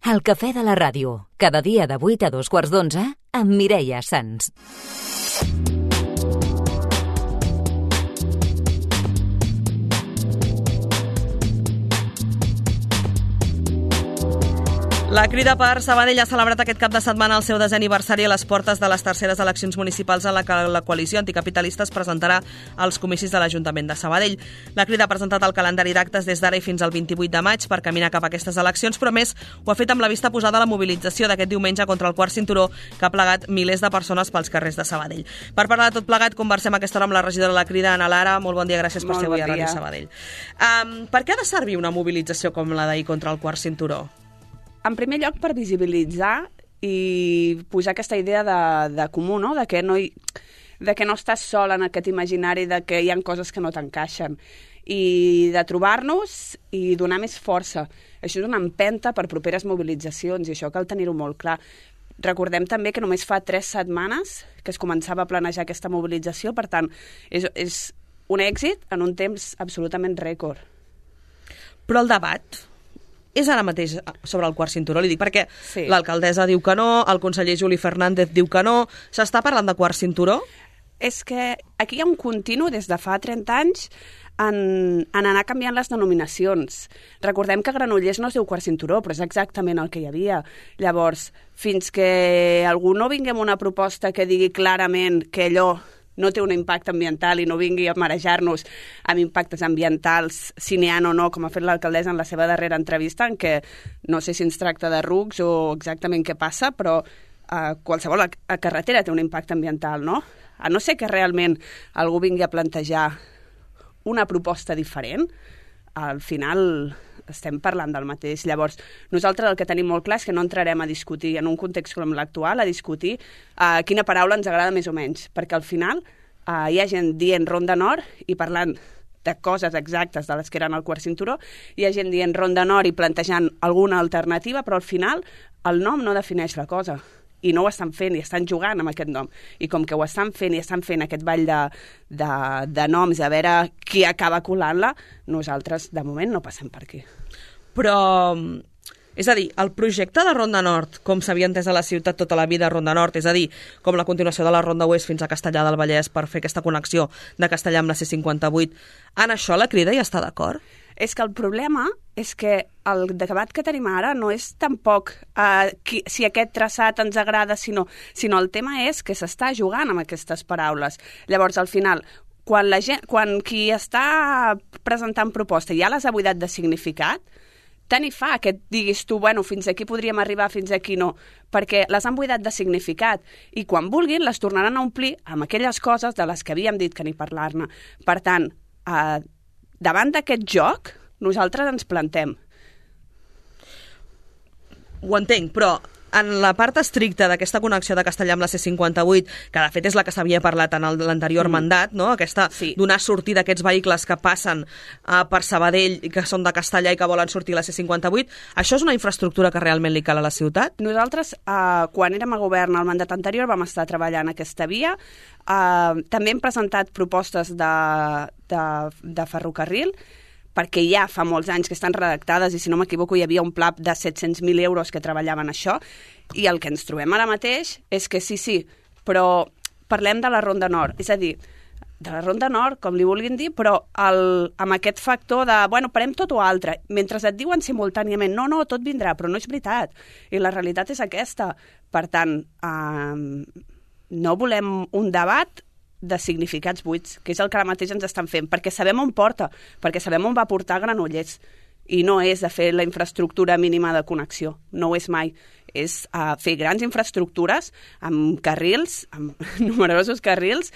El cafè de la ràdio, cada dia de 8 a 2:15 amb Mireia Sans. La Crida per Sabadell ha celebrat aquest cap de setmana el seu 10è aniversari a les portes de les terceres eleccions municipals en la que la coalició anticapitalista es presentarà als comicis de l'Ajuntament de Sabadell. La Crida ha presentat el calendari d'actes des d'ara i fins al 28 de maig per caminar cap a aquestes eleccions, però més ho ha fet amb la vista posada a la mobilització d'aquest diumenge contra el quart cinturó que ha plegat milers de persones pels carrers de Sabadell. Per parlar de tot plegat, conversem a aquesta hora amb la regidora de la Crida, Ana Lara. Molt bon dia, gràcies per ser avui a Ràdio Sabadell. Per què ha de servir una mobilització com la d'ahir contra el quart cinturó? En primer lloc, per visibilitzar i posar aquesta idea de comú, no? De que no estàs sol en aquest imaginari, de que hi ha coses que no t'encaixen, i de trobar-nos i donar més força. Això és una empenta per properes mobilitzacions i això cal tenir-ho molt clar. Recordem també que només fa 3 setmanes que es començava a planejar aquesta mobilització, per tant, és un èxit en un temps absolutament rècord. Però el debat és ara mateix sobre el quart cinturó, li dic, perquè sí. L'alcaldessa diu que no, el conseller Juli Fernández diu que no. S'està parlant de quart cinturó? És que aquí hi ha un continu des de fa 30 anys en anar canviant les denominacions. Recordem que Granollers no es diu quart cinturó, però és exactament el que hi havia. Llavors, fins que algú no vingui amb una proposta que digui clarament que allò no té un impacte ambiental i no vingui a marejar-nos amb impactes ambientals, si n'hi ha o no, com ha fet l'alcaldessa en la seva darrera entrevista, en què no sé si ens tracta de rucs o exactament què passa, però qualsevol carretera té un impacte ambiental, no? A no ser que realment algú vingui a plantejar una proposta diferent, al final estem parlant del mateix. Llavors, nosaltres el que tenim molt clar és que no entrarem a discutir, en un context com l'actual, a discutir quina paraula ens agrada més o menys, perquè al final hi ha gent dient Ronda Nord i parlant de coses exactes de les que eren el quart cinturó, hi ha gent dient Ronda Nord i plantejant alguna alternativa, però al final el nom no defineix la cosa. I no ho estan fent, i estan jugant amb aquest nom. I com que ho estan fent i estan fent aquest ball de noms a veure qui acaba colant-la, nosaltres, de moment, no passem per aquí. Però, és a dir, el projecte de Ronda Nord, com s'havia entès a la ciutat tota la vida, Ronda Nord, és a dir, com la continuació de la Ronda Oest fins a Castellar del Vallès per fer aquesta connexió de Castellar amb la C58, en això la Crida hi està d'acord? És que el problema és que el debat que tenim ara no és tampoc si aquest traçat ens agrada, sinó el tema és que s'està jugant amb aquestes paraules. Llavors, al final, quan qui està presentant proposta ja les ha buidat de significat, tant hi fa que et diguis tu, bueno, fins aquí podríem arribar, fins aquí no, perquè les han buidat de significat i quan vulguin les tornaran a omplir amb aquelles coses de les que havíem dit que ni parlar-ne. Per tant, davant d'aquest joc, nosaltres ens plantem. Ho entenc, però en la part estricta d'aquesta connexió de Castellar amb la C58, que de fet és la que s'havia parlat en l'anterior mandat, no? Aquesta donar sortida a aquests vehicles que passen per Sabadell i que són de Castellar i que volen sortir a la C58, això és una infraestructura que realment li cal a la ciutat? Nosaltres, quan érem a govern al mandat anterior, vam estar treballant aquesta via. També hem presentat propostes de ferrocarril, perquè ja fa molts anys que estan redactades i, si no m'equivoco, hi havia un pla de 700.000 euros que treballaven això, i el que ens trobem ara mateix és que sí, però parlem de la Ronda Nord, és a dir, de la Ronda Nord, com li vulguin dir, però amb aquest factor de, bueno, parem tot o altre, mentre et diuen simultàniament, no, tot vindrà, però no és veritat, i la realitat és aquesta. Per tant, no volem un debat de significats buits, que és el que ara mateix ens estan fent, perquè sabem on porta, perquè sabem on va portar Granollers, i no és de fer la infraestructura mínima de connexió, no ho és mai, és fer grans infraestructures amb carrils, amb numerosos carrils,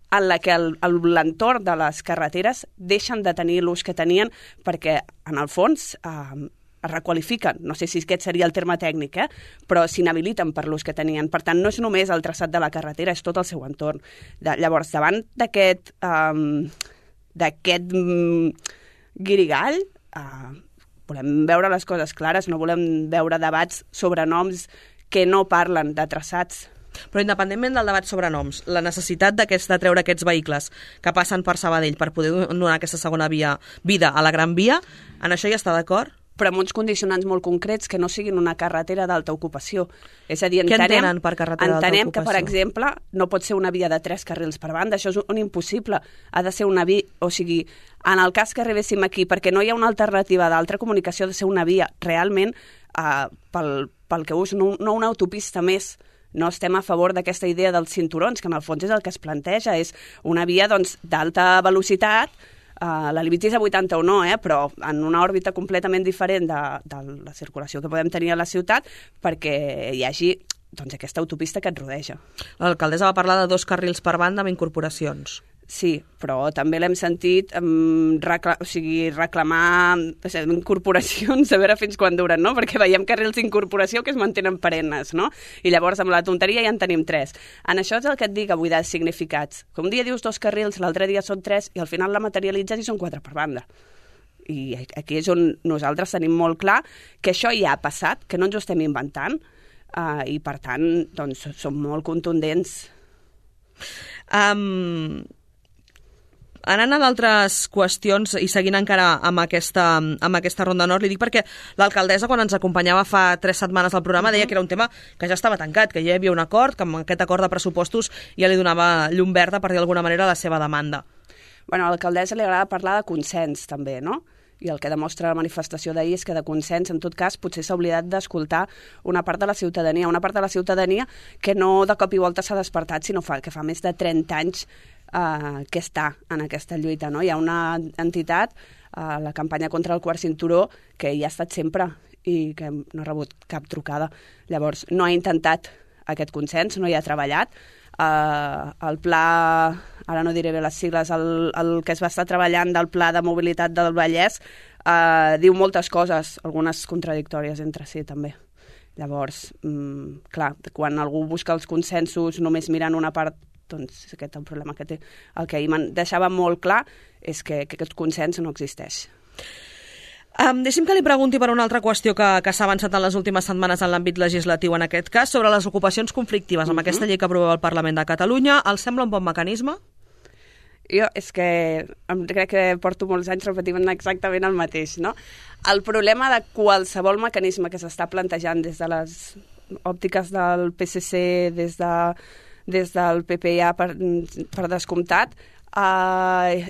en la que l'entorn de les carreteres deixen de tenir l'ús que tenien, perquè en el fons es requalifiquen, no sé si aquest seria el terme tècnic, però s'inhabiliten per l'ús que tenien. Per tant, no és només el traçat de la carretera, és tot el seu entorn. Llavors, davant d'aquest guirigall, volem veure les coses clares, no volem veure debats sobre noms que no parlen de traçats. Però independentment del debat sobre noms, la necessitat de treure aquests vehicles que passen per Sabadell per poder donar aquesta segona vida a la Gran Via, en això hi està d'acord? però amb uns condicionants molt concrets que no siguin una carretera d'alta ocupació. És a dir, Què entenen per carretera d'alta entenem ocupació? que, per exemple, no pot ser una via de 3 carrils per banda, això és un impossible. Ha de ser una via, o sigui, en el cas que arribéssim aquí, perquè no hi ha una alternativa d'altra comunicació, ha de ser una via realment pel que us, no una autopista més. No estem a favor d'aquesta idea dels cinturons, que en el fons és el que es planteja, és una via d'alta velocitat, la límit és a 80 o no, però en una òrbita completament diferent de la circulació que podem tenir a la ciutat, perquè hi hagi aquesta autopista que et rodeja. L'alcaldessa va parlar de 2 carrils per banda amb incorporacions. Sí, però també l'hem sentit reclamar incorporacions, a veure fins quan duren, no? Perquè veiem carrils d'incorporació que es mantenen perennes, no? I llavors amb la tonteria ja en tenim 3. En això és el que et dic avui de significats. Que un dia dius 2 carrils, l'altre dia són 3 i al final la materialitzes i són 4 per banda. I aquí és on nosaltres tenim molt clar que això ja ha passat, que no ens ho estem inventant i per tant doncs, som molt contundents. Anant a d'altres qüestions i seguint encara amb aquesta ronda nord, li dic perquè l'alcaldessa, quan ens acompanyava fa 3 setmanes al programa, deia que era un tema que ja estava tancat, que ja hi havia un acord, que amb aquest acord de pressupostos ja li donava llum verda, per dir d'alguna manera, la seva demanda. Bueno, a l'alcaldessa li agrada parlar de consens, també, no? I el que demostra la manifestació d'ahir és que de consens, en tot cas, potser s'ha oblidat d'escoltar una part de la ciutadania que no de cop i volta s'ha despertat, sinó que fa més de 30 anys que està en aquesta lluita, no? Hi ha una entitat, la campanya contra el quart cinturó, que hi ha estat sempre i que no ha rebut cap trucada. Llavors, no ha intentat aquest consens, no hi ha treballat. El pla, ara no diré bé les sigles, el que es va estar treballant del pla de mobilitat del Vallès diu moltes coses, algunes contradictòries entre si també. Llavors, clar, quan algú busca els consensos només mirant una part, doncs aquest és el problema que té. El que ahir deixava molt clar és que aquest consens no existeix. Deixi'm que li pregunti per una altra qüestió que s'ha avançat en les últimes setmanes en l'àmbit legislatiu, en aquest cas, sobre les ocupacions conflictives amb aquesta llei que aprovava el Parlament de Catalunya. Els sembla un bon mecanisme? Jo és que crec que porto molts anys repetint exactament el mateix, no? El problema de qualsevol mecanisme que s'està plantejant des de les òptiques del PSC, des del PP ja per descomptat,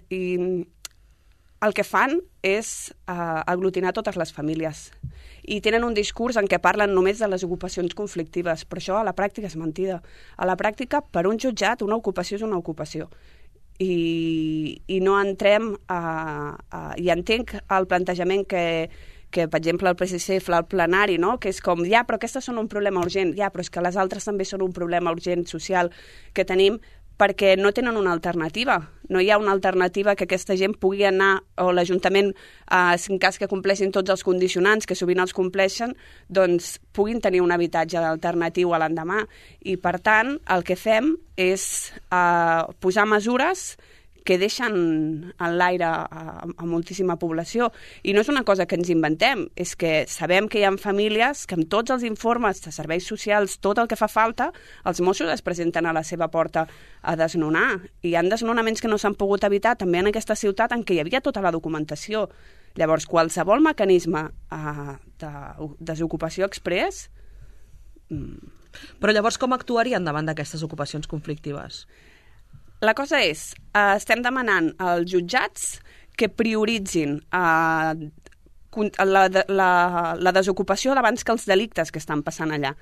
i el que fan és aglutinar totes les famílies. I tenen un discurs en què parlen només de les ocupacions conflictives, però això a la pràctica és mentida. A la pràctica, per un jutjat, una ocupació és una ocupació. I no entrem i entenc el plantejament que, per exemple, el PSC fa al plenari, no? Que és com, ja, però aquestes són un problema urgent, ja, però és que les altres també són un problema urgent social que tenim perquè no tenen una alternativa. No hi ha una alternativa que aquesta gent pugui anar, o l'Ajuntament, en cas que compleixin tots els condicionants, que sovint els compleixen, doncs puguin tenir un habitatge alternatiu a l'endemà. I, per tant, el que fem és posar mesures que deixen en l'aire a moltíssima població. I no és una cosa que ens inventem, és que sabem que hi ha famílies que amb tots els informes de serveis socials, tot el que fa falta, els Mossos es presenten a la seva porta a desnonar. I hi ha desnonaments que no s'han pogut evitar també en aquesta ciutat en què hi havia tota la documentació. Llavors, qualsevol mecanisme de desocupació exprés... Però llavors com actuarien davant d'aquestes ocupacions conflictives? La cosa és, estem demanant als jutjats que prioritzin la desocupació abans que els delictes que estan passant allà.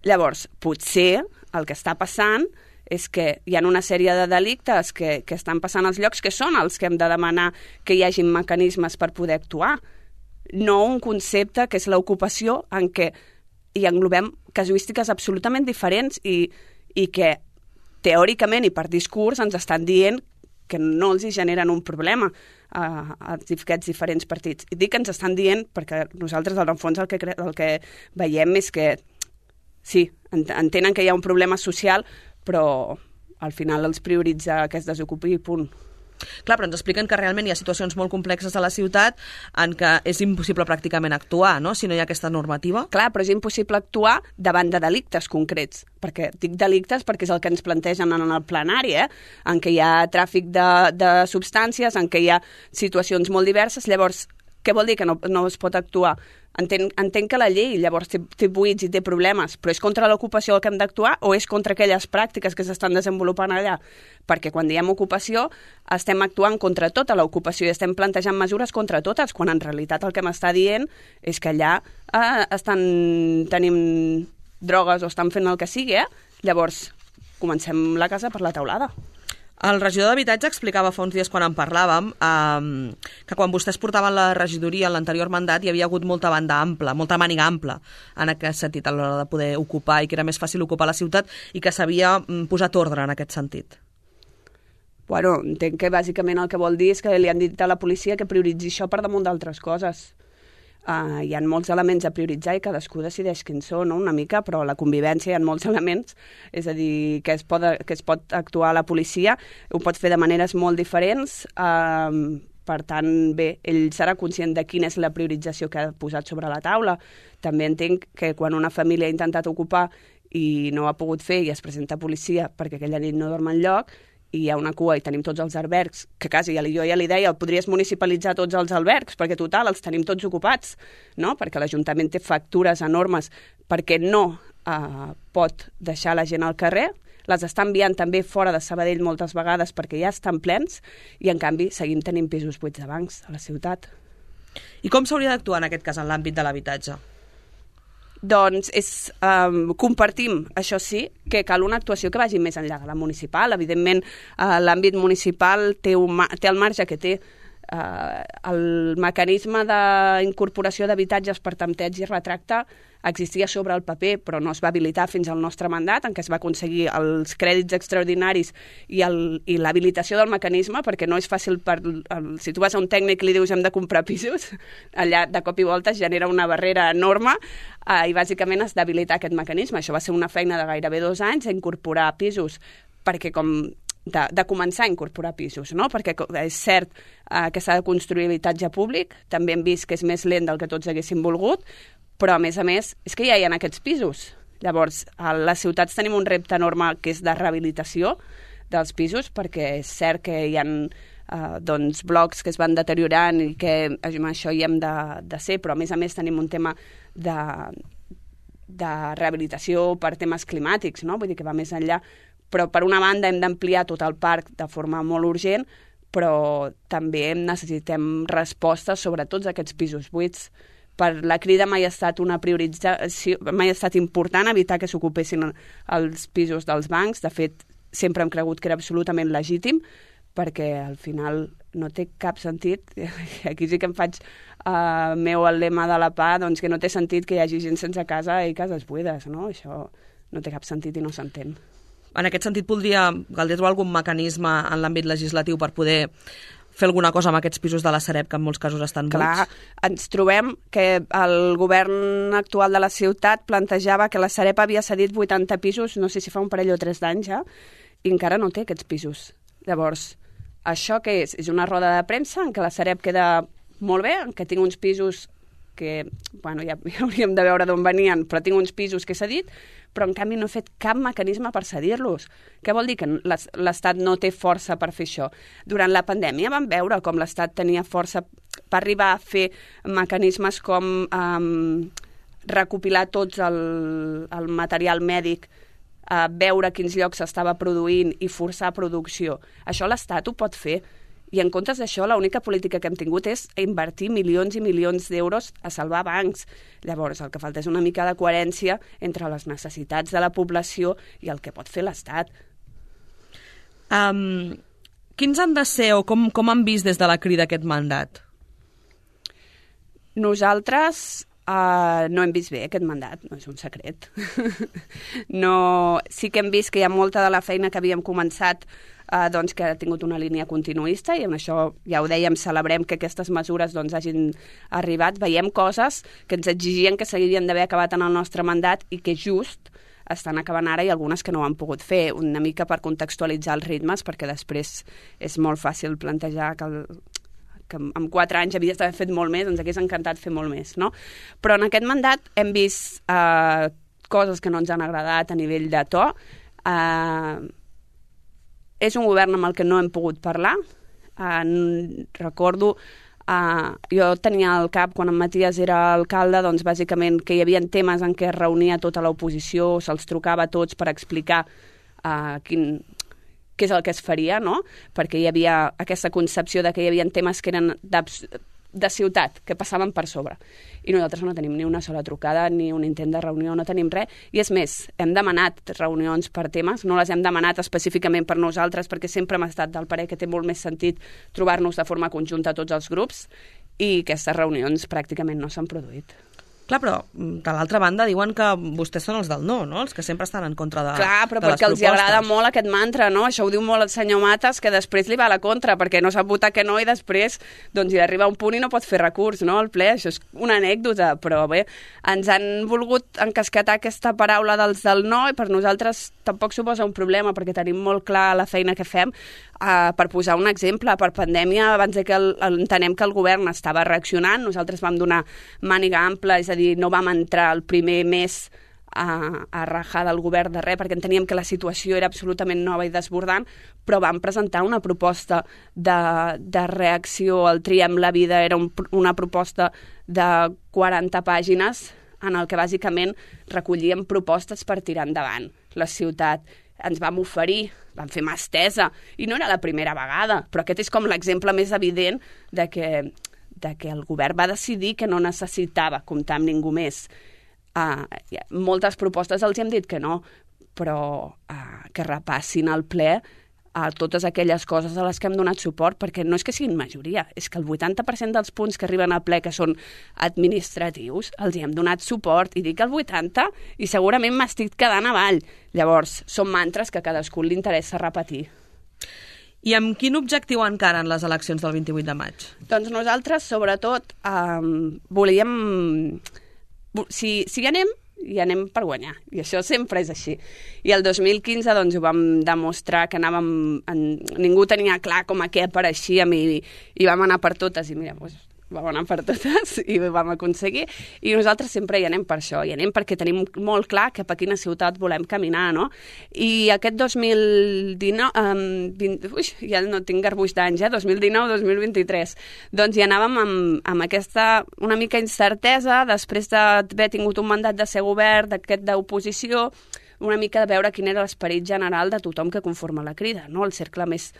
Llavors, potser el que està passant és que hi ha una sèrie de delictes que estan passant als llocs que són els que hem de demanar que hi hagin mecanismes per poder actuar. No un concepte que és l'ocupació en què hi englobem casuístiques absolutament diferents i que teòricament i per discurs ens estan dient que no els hi generen un problema a aquests diferents partits. I dic que ens estan dient perquè nosaltres, al fons, el que veiem és que sí, entenen que hi ha un problema social, però al final els prioritza que es desocupi i punt. Clar, però ens expliquen que realment hi ha situacions molt complexes a la ciutat en què és impossible pràcticament actuar, no?, si no hi ha aquesta normativa. Clar, però és impossible actuar davant de delictes concrets, perquè dic delictes perquè és el que ens plantegen en el plenari, en què hi ha tràfic de substàncies, en què hi ha situacions molt diverses. Llavors, Què vol dir que no es pot actuar? Entenc que la llei llavors té buits i té problemes, però és contra l'ocupació el que hem d'actuar o és contra aquelles pràctiques que s'estan desenvolupant allà? Perquè quan diem ocupació estem actuant contra tota l'ocupació i estem plantejant mesures contra totes, quan en realitat el que m'està dient és que allà tenim drogues o estan fent el que sigui, Llavors comencem la casa per la teulada. El regidor d'Habitatge explicava fa uns dies quan en parlàvem que quan vostès portaven la regidoria en l'anterior mandat hi havia hagut molta màniga ampla en aquest sentit a l'hora de poder ocupar i que era més fàcil ocupar la ciutat i que s'havia posat ordre en aquest sentit. Bueno, entenc que bàsicament el que vol dir és que li han dit a la policia que prioritzi això per damunt d'altres coses. Hi ha molts elements a prioritzar i cadascú decideix quins són, no? Una mica, però a la convivència hi ha molts elements, és a dir, que es pot actuar a la policia, ho pot fer de maneres molt diferents, per tant, bé, ell serà conscient de quina és la priorització que ha posat sobre la taula. També entenc que quan una família ha intentat ocupar i no ho ha pogut fer i es presenta a policia perquè aquella nit no dorm enlloc, i hi ha una cua i tenim tots els albergs, que quasi jo ja li deia, podries municipalitzar tots els albergs, perquè total, els tenim tots ocupats, no? Perquè l'Ajuntament té factures enormes perquè no pot deixar la gent al carrer, les està enviant també fora de Sabadell moltes vegades perquè ja estan plens, i en canvi seguim tenint pisos buits de bancs a la ciutat. I com s'hauria d'actuar en aquest cas en l'àmbit de l'habitatge? Doncs compartim, això sí, que cal una actuació que vagi més enllà de la municipal. Evidentment, l'àmbit municipal té el marge que té. El mecanisme d'incorporació d'habitatges per tempteig i retracte existia sobre el paper, però no es va habilitar fins al nostre mandat, en què es va aconseguir els crèdits extraordinaris i l'habilitació del mecanisme, perquè no és fàcil, si tu vas a un tècnic i li dius hem de comprar pisos, allà de cop i volta es genera una barrera enorme i bàsicament has d'habilitar aquest mecanisme. Això va ser una feina de gairebé 2 anys, incorporar pisos, perquè de començar a incorporar pisos, no? Perquè és cert que s'ha de construir habitatge públic, també hem vist que és més lent del que tots haguéssim volgut, però a més és que ja hi ha aquests pisos. Llavors, a les ciutats tenim un repte enorme que és de rehabilitació dels pisos, perquè és cert que hi ha blocs que es van deteriorant i que amb això hi hem de ser, però a més tenim un tema de rehabilitació per temes climàtics, no? Vull dir que va més enllà. Però per una banda hem d'ampliar tot el parc de forma molt urgent, però també necessitem respostes sobre tots aquests pisos buits. Per la Crida mai ha estat una priorització, mai ha estat important evitar que s'ocupessin els pisos dels bancs. De fet, sempre hem cregut que era absolutament legítim, perquè al final no té cap sentit. Aquí sí que em faig meu el lema de la PA, doncs que no té sentit que hi hagi gent sense casa i cases buides, no? Això no té cap sentit i no s'entén. En aquest sentit, caldria trobar algun mecanisme en l'àmbit legislatiu per poder fer alguna cosa amb aquests pisos de la Sareb, que en molts casos estan buits? Clar, ens trobem que el govern actual de la ciutat plantejava que la Sareb havia cedit 80 pisos, no sé si fa un parell o 3 d'anys ja, i encara no té aquests pisos. Llavors, això què és? És una roda de premsa en què la Sareb queda molt bé, en què tinc uns pisos que, bueno, ja hauríem de veure d'on venien, però tinc uns pisos que he cedit, però en canvi no he fet cap mecanisme per cedir-los. Què vol dir? Que l'Estat no té força per fer això. Durant la pandèmia vam veure com l'Estat tenia força per arribar a fer mecanismes com recopilar tots el material mèdic, veure quins llocs s'estava produint i forçar producció. Això l'Estat ho pot fer. I en comptes d'això, l'única política que hem tingut és invertir milions i milions d'euros a salvar bancs. Llavors, el que falta és una mica de coherència entre les necessitats de la població i el que pot fer l'Estat. Quins han de ser o com han vist des de la Crida aquest mandat? Nosaltres no hem vist bé aquest mandat, no és un secret. Sí que hem vist que hi ha molta de la feina que havíem començat que ha tingut una línia continuista i amb això, ja ho dèiem, celebrem que aquestes mesures hagin arribat. Veiem coses que ens exigien que s'haurien d'haver acabat en el nostre mandat i que just estan acabant ara i algunes que no ho han pogut fer, una mica per contextualitzar els ritmes, perquè després és molt fàcil plantejar que en 4 anys havies d'haver fet molt més, ens hagués encantat fer molt més, no? Però en aquest mandat hem vist coses que no ens han agradat a nivell de to. És un govern amb el que no hem pogut parlar. Recordo Jo tenia al cap, quan en Matías era alcalde, doncs bàsicament que hi havia temes en què es reunia tota l'oposició, se'ls trucava a tots per explicar què és el que es faria, no? Perquè hi havia aquesta concepció de que hi havia temes que eren de ciutat, que passaven per sobre. I nosaltres no tenim ni una sola trucada, ni un intent de reunió, no tenim res. I és més, hem demanat reunions per temes, no les hem demanat específicament per nosaltres, perquè sempre hem estat del parer que té molt més sentit trobar-nos de forma conjunta tots els grups, i aquestes reunions pràcticament no s'han produït. Clar, però de l'altra banda diuen que vostès són els del no, no? Els que sempre estan en contra de les propostes. Clar, però perquè els agrada molt aquest mantra, no? Això ho diu molt el senyor Matas, que després li va a la contra, perquè no sap votar que no i després doncs hi arriba un punt i no pot fer recurs, no? Al ple, això és una anècdota, però bé, ens han volgut encasquetar aquesta paraula dels del no i per nosaltres tampoc suposa un problema, perquè tenim molt clar la feina que fem. Per posar un exemple, per pandèmia, abans que entenem que el govern estava reaccionant, nosaltres vam donar màniga ampla, és a dir, no vam entrar el primer mes a rajar del govern de res, perquè enteníem que la situació era absolutament nova i desbordant, però vam presentar una proposta de reacció al Triem la vida, era una proposta de 40 pàgines en el que bàsicament recollíem propostes per tirar endavant la ciutat. Ens vam oferir, vam fer mà estesa, i no era la primera vegada, però aquest és com l'exemple més evident de que el govern va decidir que no necessitava comptar amb ningú més. Moltes propostes els hem dit que no, però que repassin al ple a totes aquelles coses a les que hem donat suport, perquè no és que siguin majoria, és que el 80% dels punts que arriben al ple que són administratius els hi hem donat suport, i dic el 80%, i segurament m'estic quedant avall. Llavors, són mantres que a cadascú li interessa repetir. I amb quin objectiu encaren les eleccions del 28 de maig? Doncs nosaltres, sobretot, volíem... Si hi anem, i anem per guanyar, i això sempre és així. I el 2015 doncs, ho vam demostrar que ningú tenia clar com a què apareixíem i vam anar per totes, i mira, doncs, vam anar per totes i ho vam aconseguir, i nosaltres sempre hi anem per això, hi anem perquè tenim molt clar cap a quina ciutat volem caminar, no? I aquest 2019, ja no tinc garbuix d'anys, 2019-2023, doncs hi anàvem amb aquesta una mica incertesa, després d'haver tingut un mandat de ser govern, d'aquest d'oposició, una mica de veure quin era l'esperit general de tothom que conforma la Crida, no? El cercle més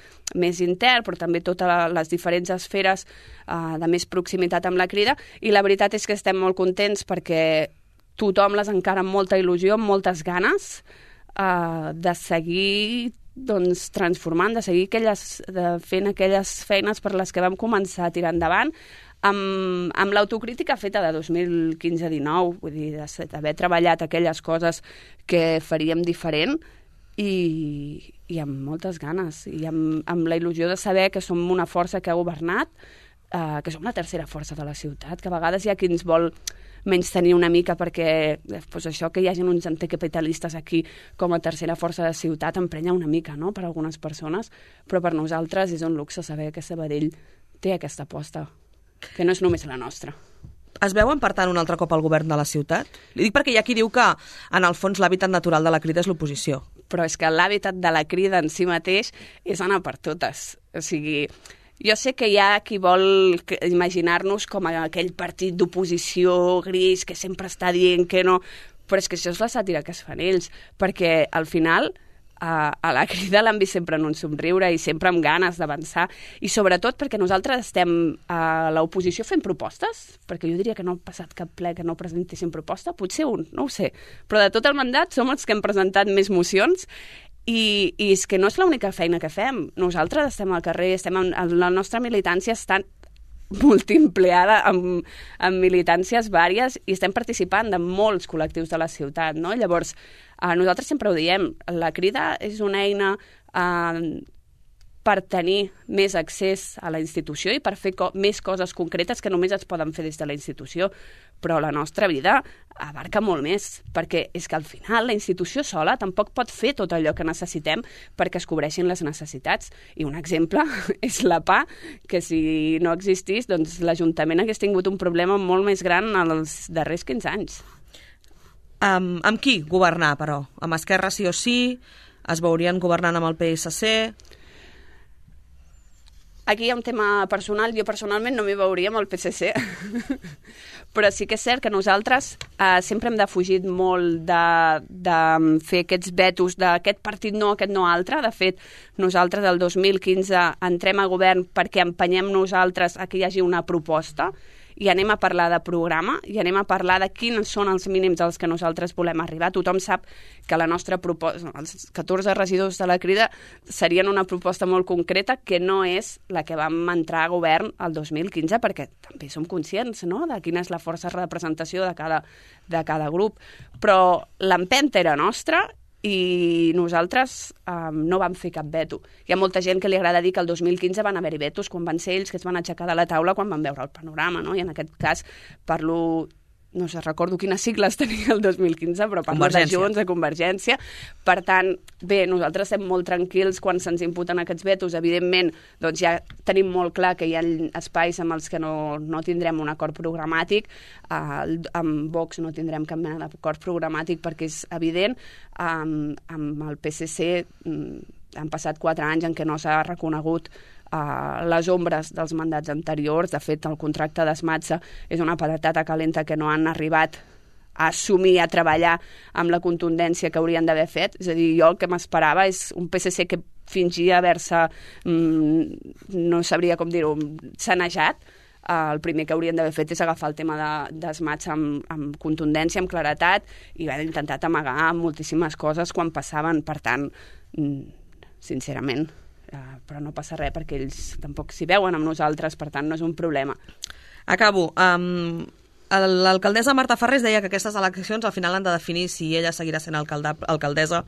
intern, però també totes les diferents esferes de més proximitat amb la Crida, i la veritat és que estem molt contents perquè tothom les encara amb molta il·lusió, amb moltes ganes de seguir transformant, de seguir fent aquelles feines per les que vam començar a tirar endavant, amb l'autocrítica feta de 2015-19, vull dir, d'haver treballat aquelles coses que faríem diferent i amb moltes ganes, i amb la il·lusió de saber que som una força que ha governat, que som la tercera força de la ciutat, que a vegades hi ha qui ens vol menys tenir una mica perquè doncs això que hi hagi uns anticapitalistes aquí com a tercera força de ciutat emprenya una mica, no?, per algunes persones, però per nosaltres és un luxe saber que Sabadell té aquesta aposta, que no és només la nostra. Es veuen, per tant, un altre cop al govern de la ciutat? Li dic perquè hi ha qui diu que, en el fons, l'hàbitat natural de la Crida és l'oposició. Però és que l'hàbitat de la Crida en si mateix és anar per totes. O sigui, jo sé que hi ha qui vol imaginar-nos com aquell partit d'oposició gris que sempre està dient que no, però és que això és la sàtira que es fan ells, perquè al final a la Crida l'han vist sempre en un somriure i sempre amb ganes d'avançar, i sobretot perquè nosaltres estem a l'oposició fent propostes, perquè jo diria que no ha passat cap ple que no presentéssim proposta, potser un, no ho sé, però de tot el mandat som els que hem presentat més mocions, i és que no és l'única feina que fem. Nosaltres estem al carrer, la nostra militància està multiempleada amb militàncies vàries i estem participant de molts col·lectius de la ciutat, no? Llavors, nosaltres sempre ho diem, la Crida és una eina per tenir més accés a la institució i per fer més coses concretes que només es poden fer des de la institució, però la nostra vida abarca molt més, perquè és que al final la institució sola tampoc pot fer tot allò que necessitem perquè es cobreixin les necessitats. I un exemple és la PA, que si no existís, doncs l'Ajuntament hagués tingut un problema molt més gran els darrers 15 anys. Amb qui governar, però? Amb Esquerra sí o sí? Es veurien governant amb el PSC? Aquí hi ha un tema personal. Jo personalment no m'hi veuria amb el PSC, però sí que és cert que nosaltres sempre hem defugit molt de fer aquests vetos d'aquest partit no, aquest no altre. De fet, nosaltres el 2015 entrem a govern perquè empenyem nosaltres a que hi hagi una proposta i anem a parlar de programa i anem a parlar de quins són els mínims als que nosaltres volem arribar. Tothom sap que la nostra proposta, els 14 regidors de la Crida, serien una proposta molt concreta que no és la que vam entrar a govern el 2015, perquè també som conscients, no?, de quina és la força de representació de cada grup. Però l'empenta era nostra i nosaltres no vam fer cap veto. Hi ha molta gent que li agrada dir que el 2015 van haver-hi vetos quan van ser ells que es van aixecar de la taula quan van veure el panorama, no? I en aquest cas parlo... No sé, recordo quines sigles tenia el 2015, però parlo de Junts, de Convergència. Per tant, bé, nosaltres estem molt tranquils quan se'ns imputen aquests vetos. Evidentment, doncs ja tenim molt clar que hi ha espais amb els que no tindrem un acord programàtic. Amb Vox no tindrem cap mena d'acord programàtic perquè és evident. Amb el PSC han passat 4 anys en què no s'ha reconegut les ombres dels mandats anteriors. De fet, el contracte d'Esmatsa és una patata calenta que no han arribat a assumir, a treballar amb la contundència que haurien d'haver fet. És a dir, jo el que m'esperava és un PSC que fingia haver-se, no sabria com dir-ho, sanejat. El primer que haurien d'haver fet és agafar el tema d'Esmatsa amb contundència, amb claretat, i van intentat amagar moltíssimes coses quan passaven. Per tant, sincerament, però no passa res perquè ells tampoc s'hi veuen amb nosaltres, per tant no és un problema. Acabo. L'alcaldessa Marta Farrés deia que aquestes eleccions al final han de definir si ella seguirà sent alcaldessa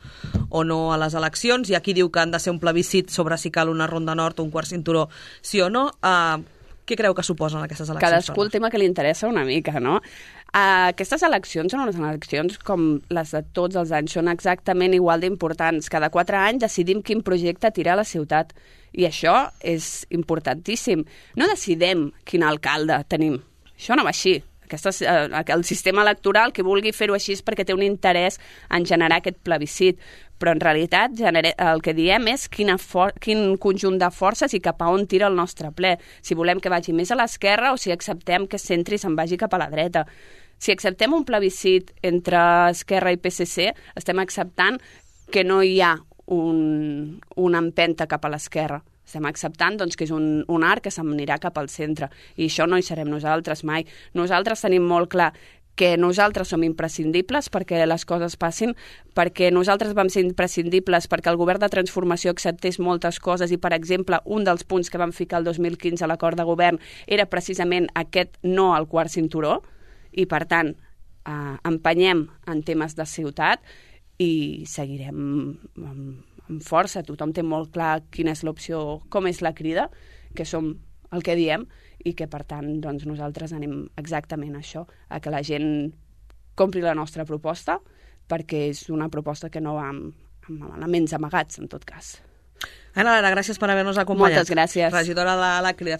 o no a les eleccions, i aquí diu que han de ser un plebiscit sobre si cal una ronda nord o un quart cinturó, sí o no. Què creu que suposen aquestes eleccions? Cadascú el tema que li interessa una mica, no? Aquestes eleccions són unes eleccions com les de tots els anys, són exactament igual d'importants. Cada 4 anys decidim quin projecte tirar a la ciutat, i això és importantíssim. No decidem quin alcalde tenim, això no va així. El sistema electoral que vulgui fer-ho així és perquè té un interès en generar aquest plebiscit, però en realitat el que diem és quin conjunt de forces i cap a on tira el nostre ple. Si volem que vagi més a l'esquerra o si acceptem que es centri i se'n vagi cap a la dreta. Si acceptem un plebiscit entre Esquerra i PSC, estem acceptant que no hi ha una empenta cap a l'esquerra. Estem acceptant doncs, que és un arc que s'anirà cap al centre, i això no hi serem nosaltres mai. Nosaltres tenim molt clar que nosaltres som imprescindibles perquè les coses passin, perquè nosaltres vam ser imprescindibles perquè el govern de transformació acceptés moltes coses i, per exemple, un dels punts que vam ficar el 2015 a l'acord de govern era precisament aquest no al quart cinturó, i per tant empenyem en temes de ciutat i seguirem amb força. Tothom té molt clar quina és l'opció, com és la Crida, que som el que diem, i que, per tant, doncs, nosaltres anem exactament a això, a que la gent compri la nostra proposta, perquè és una proposta que no va amb elements amagats, en tot cas. Ana Lara, gràcies per haver-nos acompanyat. Moltes gràcies. Regidora de la Crida.